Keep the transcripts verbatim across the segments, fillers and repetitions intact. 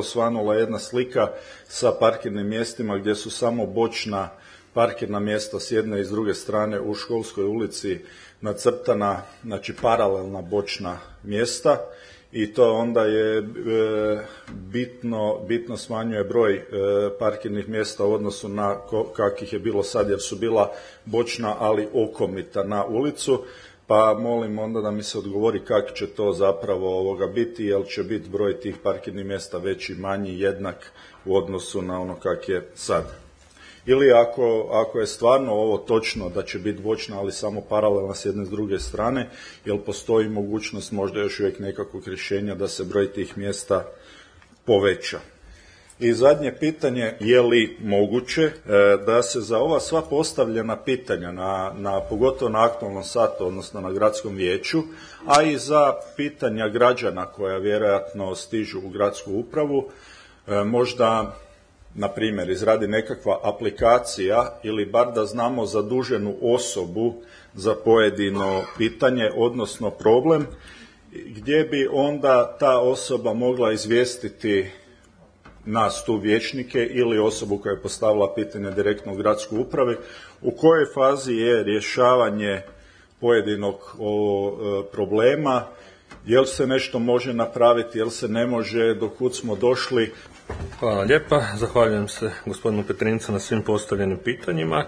osvanula jedna slika sa parkirnim mjestima gdje su samo bočna parkirna mjesta s jedne i s druge strane u Školskoj ulici nacrtana, znači paralelna bočna mjesta, i to onda je e, bitno, bitno smanjuje broj e, parkirnih mjesta u odnosu na kakvih je bilo sad, jer su bila bočna ali okomita na ulicu. Pa molim onda da mi se odgovori kako će to zapravo ovoga biti, jel će biti broj tih parkirnih mjesta veći, manji, jednak u odnosu na ono kak je sad. Ili ako, ako je stvarno ovo točno da će biti bočna, ali samo paralelna s jedne s druge strane, jel postoji mogućnost možda još uvijek nekakvog rješenja da se broj tih mjesta poveća. I zadnje pitanje, je li moguće e, da se za ova sva postavljena pitanja, na, na, pogotovo na aktualnom satu, odnosno na gradskom vijeću, a i za pitanja građana koja vjerojatno stižu u gradsku upravu, e, možda, na primjer, izradi nekakva aplikacija ili bar da znamo zaduženu osobu za pojedino pitanje, odnosno problem, gdje bi onda ta osoba mogla izvijestiti nas tu vijećnike ili osobu koja je postavila pitanje direktno u gradskoj upravi, u kojoj fazi je rješavanje pojedinog o, e, problema, jel se nešto može napraviti, jel se ne može, do kud smo došli. Hvala lijepa, zahvaljujem se gospodinu Petrincu na svim postavljenim pitanjima.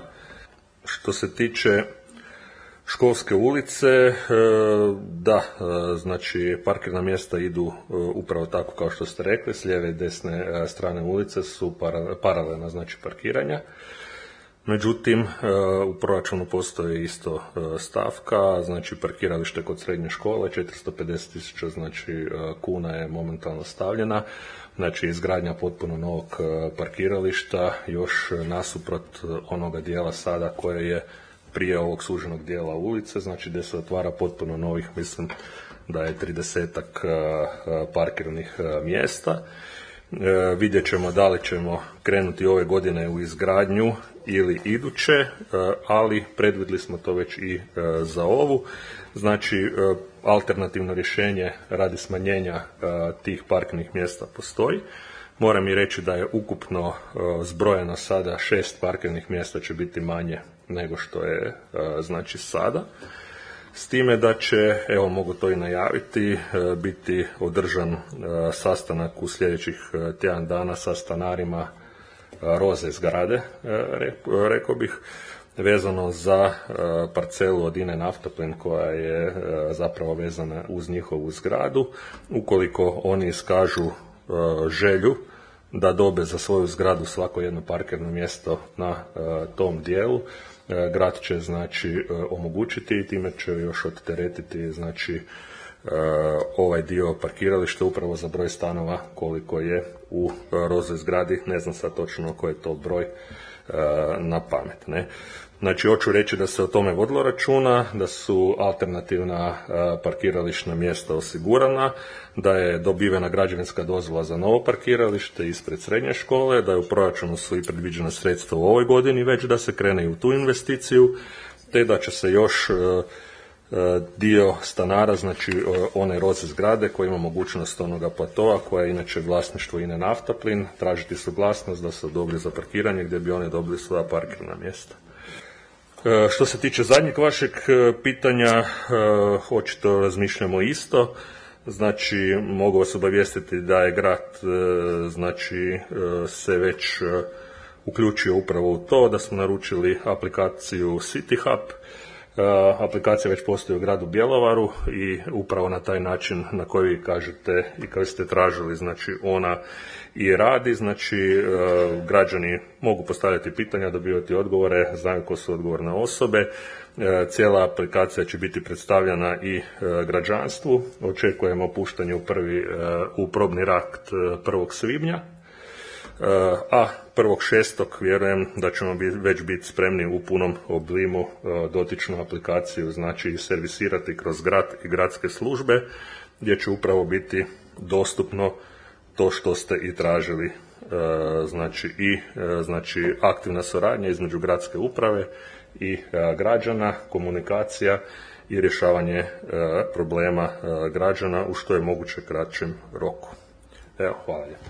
Što se tiče Školske ulice, da, znači parkirna mjesta idu upravo tako kao što ste rekli, s lijeve i desne strane ulice su paralelna, znači parkiranja. Međutim, u proračunu postoji isto stavka, znači parkiralište kod srednje škole, četiristo pedeset tisuća znači, kuna je momentalno stavljena, znači izgradnja potpuno novog parkirališta, još nasuprot onoga dijela sada koje je prije ovog suženog dijela ulice, znači gdje se otvara potpuno novih, mislim da je tridesetak parkirnih mjesta. E, vidjet ćemo da li ćemo krenuti ove godine u izgradnju ili iduće, e, ali predvidjeli smo to već i e, za ovu. Znači, e, alternativno rješenje radi smanjenja e, tih parkirnih mjesta postoji. Moram i reći da je ukupno e, zbrojeno sada šest parkirnih mjesta će biti manje nego što je e, znači sada. S time da će, evo mogu to i najaviti, biti održan sastanak u sljedećih tjedan dana sa stanarima Roze zgrade, rekao bih, vezano za parcelu od INA-e Naftaplin koja je zapravo vezana uz njihovu zgradu. Ukoliko oni iskažu želju da dobe za svoju zgradu svako jedno parkirno mjesto na tom dijelu, grad će znači omogućiti i time će još odteretiti znači ovaj dio parkirališta upravo za broj stanova koliko je u Roze zgradi, ne znam sad točno koji je to broj na pamet, ne. Znači, hoću reći da se o tome vodilo računa, da su alternativna parkirališna mjesta osigurana, da je dobivena građevinska dozvola za novo parkiralište ispred srednje škole, da je u proračunu su i predviđena sredstva u ovoj godini već da se krene i u tu investiciju, te da će se još dio stanara, znači one Roze zgrade koja ima mogućnost onoga platoa, koja je inače vlasništvo INA-e Naftaplin, tražiti suglasnost da se odobri za parkiranje gdje bi oni dobili svoja parkirna mjesta. Što se tiče zadnjeg vašeg pitanja, očito razmišljamo isto. Znači, mogu vas obavijestiti da je grad znači, se već uključio upravo u to, da smo naručili aplikaciju City Hub. Aplikacija već postoji u gradu Bjelovaru i upravo na taj način na koji vi kažete i koji ste tražili, znači ona i radi, znači građani mogu postavljati pitanja, dobivati odgovore, znaju ko su odgovorne osobe. Cijela aplikacija će biti predstavljena i građanstvu. Očekujemo puštanje u prvi u probni rakt prvog svibnja. A prvog šestog vjerujem da ćemo već biti spremni u punom oblimu dotičnu aplikaciju, znači servisirati kroz grad i gradske službe, gdje će upravo biti dostupno to što ste i tražili, znači i znači aktivna suradnja između gradske uprave i građana, komunikacija i rješavanje problema građana u što je moguće kraćem roku. Evo, hvala lijepo.